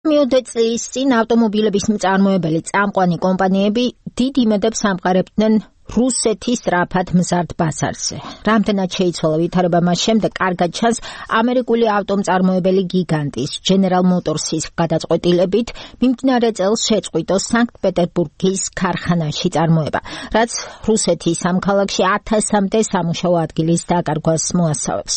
მიუხედავად წლის წინ ავტომობილების მწარმოებელი წამყვანი კომპანიები დიდ იმედებს ამყარებდნენ რუსეთის სწრაფად მზარდ ბაზარზე. რამდენად შეიცვალა ვითარება მას შემდეგ კარგად ჩანს ამერიკული ავტომწარმოებელი გიგანტის General Motors-ის გადაწყვეტილებით მიმდინარე წელს შეწყვიტო სანქტ-პეტერბურგის ქარხანაში წარმოება, რაც რუსეთის ამ ქალაქში 1000-მდე სამუშაო ადგილის დაკარგვას მოასწავებს.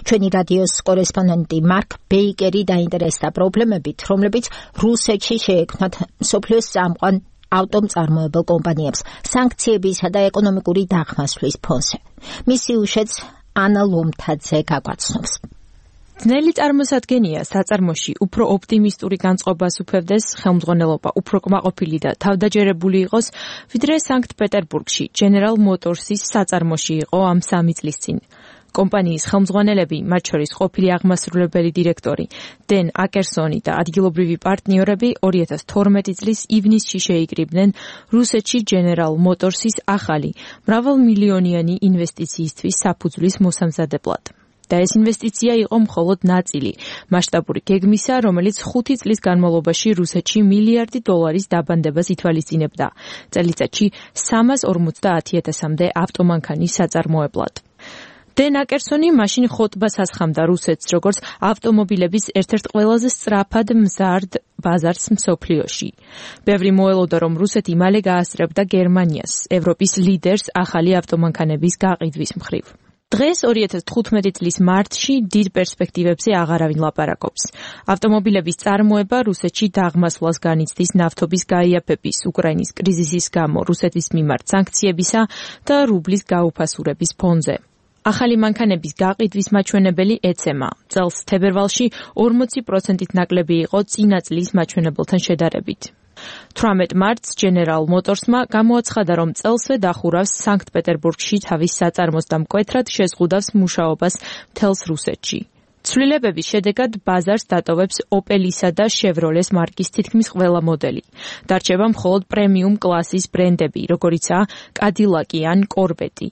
ჩვენი რადიოს კორესპონდენტი მარკ ბეიკერი დაინტერესდა პრობლემებით, რომლებიც რუსეთში შეექმნათ მსოფლიოს წამყვან ავტომწარმოებელ კომპანიებს სანქციებისა და ეკონომიკური დახმასვლის ფონზე. მისი უშვებს ანა ლომთაძე გაგვაცნობს. ძნელი წარმოსადგენია საწარმოში უფრო ოპტიმისტური განწყობას უფევდეს ხელმძღვანელობა უფრო კმაყოფილი და თავდაჯერებული იყოს, ვიდრე სანქტ-პეტერბურგში General Motors-ის საწარმოში იყო ამ 3 წლის წინ. კომპანიის ხელმძღვანელები, მათ შორის ყოფილი აღმასრულებელი დირექტორი დენ აკერსონი და ადგილობრივი პარტნიორები 2012 წლის ივნისში შეიკრიბნენ რუსეთში General Motors-ის ახალი მრავალმილიონიანი ინვესტიციისთვის საფუძვლის მოსამზადებლად. და ეს ინვესტიცია იყო მხოლოდ ნაწილი მასშტაბური გეგმისა, რომელიც 5 წლის განმავლობაში რუსეთში $1 მილიარდი დაბანდებას ითვალისწინებდა. წელიწადში 350,000-მდე ავტომანქანის საწარმოებლად. დენ აკერსონი მაშინ ხოტბას ასხამდა რუსეთს, როგორც ავტომობილების ერთ-ერთ ყველაზე სწრაფად მზარდ ბაზარს მსოფლიოში. ბევრი მოელოდა, რომ რუსეთი მალე გაასწრებდა გერმანიას, ევროპის ლიდერს ახალი ავტომანქანების გაყიდვის მხრივ. დღეს 2015 წლის მარტში დიდ პერსპექტივებზე აღარავინ ლაპარაკობს. ავტომობილების წარმოება რუსეთში დაღმასვლას განიცდის ნავთობის გაიაფების, უკრაინის კრიზისის გამო, რუსეთის მიმართ სანქციებისა და რუბლის გაუფასურების ფონზე. ახალი მანქანების გაყიდვის მაჩვენებელი ეცემა. წელს თებერვალში 40%-ით ნაკლები იყო წინა წლის მაჩვენებელთან შედარებით. 18 მარტს General Motors-მა გამოაცხადა, რომ წელსვე დახურავს სანქტ-პეტერბურგში თავის საწარმოს და მკვეთრად შეზღუდავს მუშაობას მთელს რუსეთში. ცვლილებების შედეგად ბაზარს დატოვებს Opel-ისა და Chevrolet მარკის თითქმის ყველა მოდელი. დარჩება მხოლოდ პრემიუმ კლასის ბრენდები, როგორიცაა Cadillac ან Corvette.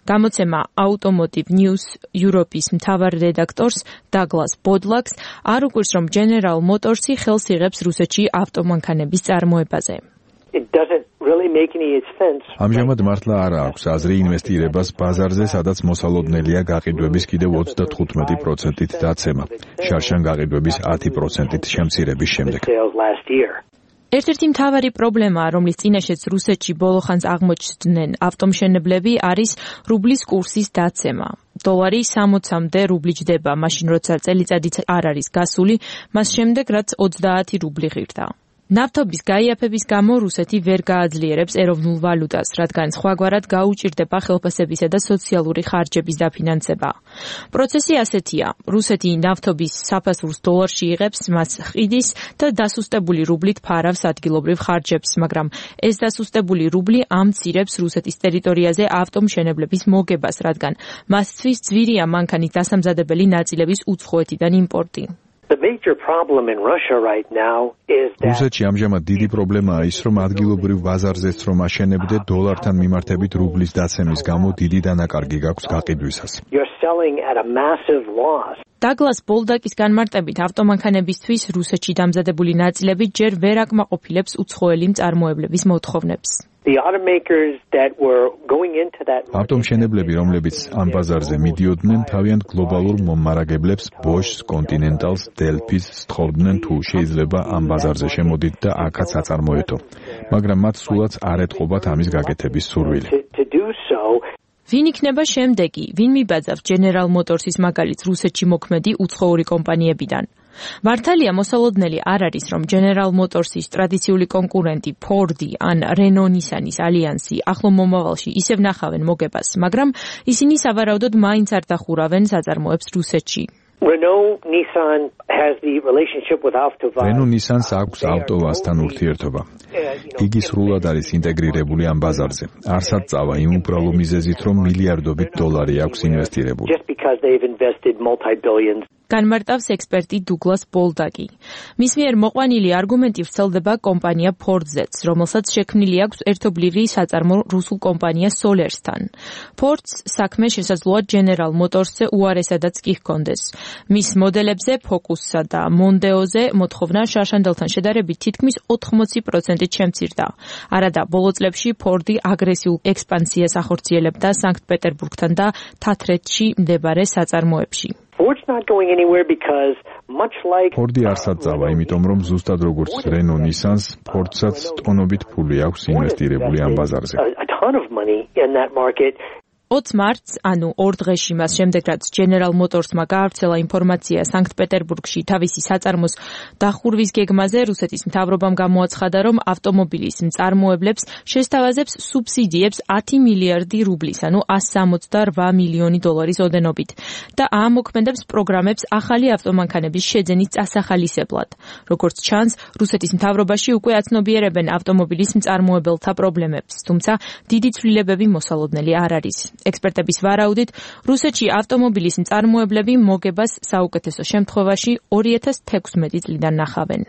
გამოცემა Automotive News Europe-ის მთავარ რედაქტორს დაგლას ბოდლაკს არ უკვირს, რომ General Motors-ი ხელს იღებს რუსეთში ავტომანქანების წარმოებაზე. ამჟამად მართლა არ აქვს აზრი ინვესტირებას ბაზარზე, სადაც მოსალოდნელია გაყიდვების კიდევ 35%-ით დაცემა, შარშან გაყიდვების 10%-ით შემცირების შემდეგ. ერთ-ერთი მთავარი პრობლემაა, რომლის წინაშეც რუსეთში ბოლოხანს აღმოჩნდნენ ავტომშენებლები, არის რუბლის კურსის დაცემა. დოლარი 60-მდე რუბლი ჯდება, მაშინ როცა წელიწადიც არ არის გასული, მას შემდეგ რაც 30 რუბლი ღირდა. ნავთობის გაიაფების გამო რუსეთი ვერ გააძლიერებს ეროვნულ ვალუტას, რადგან სხვაგვარად გაუჭირდება ხელფასებისა და სოციალური ხარჯების დაფინანსება. პროცესი ასეთია: რუსეთი ნავთობის საფასურს დოლარში იღებს, მას ყიდის და დასუსტებული რუბლით ფარავს ადგილობრივ ხარჯებს, მაგრამ ეს დასუსტებული რუბლი ამცირებს რუსეთის ტერიტორიაზე ავტომშენებლების მოგებას, რადგან მასთვის ძვირია მანქანის დასამზადებელი ნაწილების უცხოეთიდან იმპორტი. რუსეთში ამჟამად დიდი პრობლემაა ის, რომ ადგილობრივ ბაზარზეც რომ აშენებდე, დოლართან მიმართებით რუბლის დაცემის გამო დიდი დანაკარგი გაქვს გაყიდვისას. დაგლას ბოლდაკის განმარტებით, ავტომანქანებისთვის რუსეთში დამზადებული ნაწილები ჯერ ვერ აკმაყოფილებს უცხოელი მწარმოებლების მოთხოვნებს. ავტომშენებლები, რომლებიც ამ ბაზარზე მიდიოდნენ, თავიანთ გლობალურ მომარაგებლებს, Bosch, Continentals, Delphi-ს სთხოვდნენ თუ შეიძლება ამ ბაზარზე შემოდით და აქაც აწარმოეთო. მაგრამ მათ სულაც არ ეთყობათ ამის გაკეთების სურვილი. ვინ იქნება შემდეგი? ვინ მიბაძავს General Motors-ის მაგალითს რუსეთში მოქმედი უცხოური კომპანიებიდან? მართალია მოსალოდნელი არ არის, რომ General Motors-ის ტრადიციული კონკურენტი Ford-ი ან Renault-Nissan-ის ალიანსი ახლო მომავალში ისევ ნახავენ მოგებას, მაგრამ ისინი სავარაუდოდ მაინც არ დახურავენ საწარმოებს რუსეთში. Renault-Nissan-ს აქვს ავტოვაზთან ურთიერთობა. იგი სრულად არის ინტეგრირებული ამ ბაზარზე. არსად წავა იმ უბრალო მიზეზით, რომ მილიარდობით დოლარი აქვს ინვესტირებული. განმარტავს ექსპერტი დუგლას ბოლდაკი. მის მიერ მოყვანილი არგუმენტი ვრცელდება კომპანია Ford-ზეც, რომელსაც შექმნილი აქვს ერთობლივი საწარმო რუსულ კომპანია Solersთან. Ford-ს საქმე შესაძლოა General Motors-ზე უარესადაც კი ჰქონდეს. მის მოდელებზე Focus-სა და Mondeo-ზე მოთხოვნა შარშანდელთან შედარებით თითქმის 80%-ით შემცირდა. არადა ბოლო წლებში Ford-ი აგრესიულ ექსპანსიას ახორციელებდა სანქტ-პეტერბურგთან და თათრეთში მდებარე საწარმოებში. Ford-ი არსად წავა, იმიტომ რომ ზუსტად როგორც Renault, Nissan-ს, Ford-საც ტონობით ფული აქვს ინვესტირებული ამ ბაზარზე. 20 მარტს, ანუ 2 დღეში მას შემდეგ, რაც General Motors-მა გაავრცელა ინფორმაცია სანქტ-პეტერბურგში თავისი საწარმოს დახურვის გეგმაზე, რუსეთის მთავრობამ გამოაცხადა, რომ ავტომობილის მწარმოებლებს შესთავაზებს სუბსიდიებს 10 მილიარდი რუბლის, ანუ 168 მილიონი დოლარის ოდენობით და აამოქმედებს პროგრამებს ახალი ავტომანქანების შეძენის წასახალისებლად. როგორც ჩანს, რუსეთის მთავრობაში უკვე აცნობიერებენ ავტომობილის მწარმოებელთა პრობლემებს, თუმცა დიდი ცვლილებები მოსალოდნელი არ არის. ექსპერტების ვარაუდით, რუსეთში ავტომობილის მწარმოებლები მოგებას საუკეთესო შემთხვევაში 2016 წლიდან ნახავენ.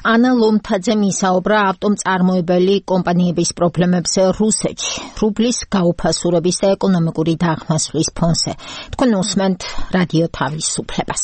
ანა ლომთაძე მისაუბრა ავტომწარმოებელი კომპანიების პრობლემებზე რუსეთში, რუბლის გაუფასურების და ეკონომიკური დაღმასვლის ფონზე. თქვენ უსმენთ რადიო თავისუფლებას.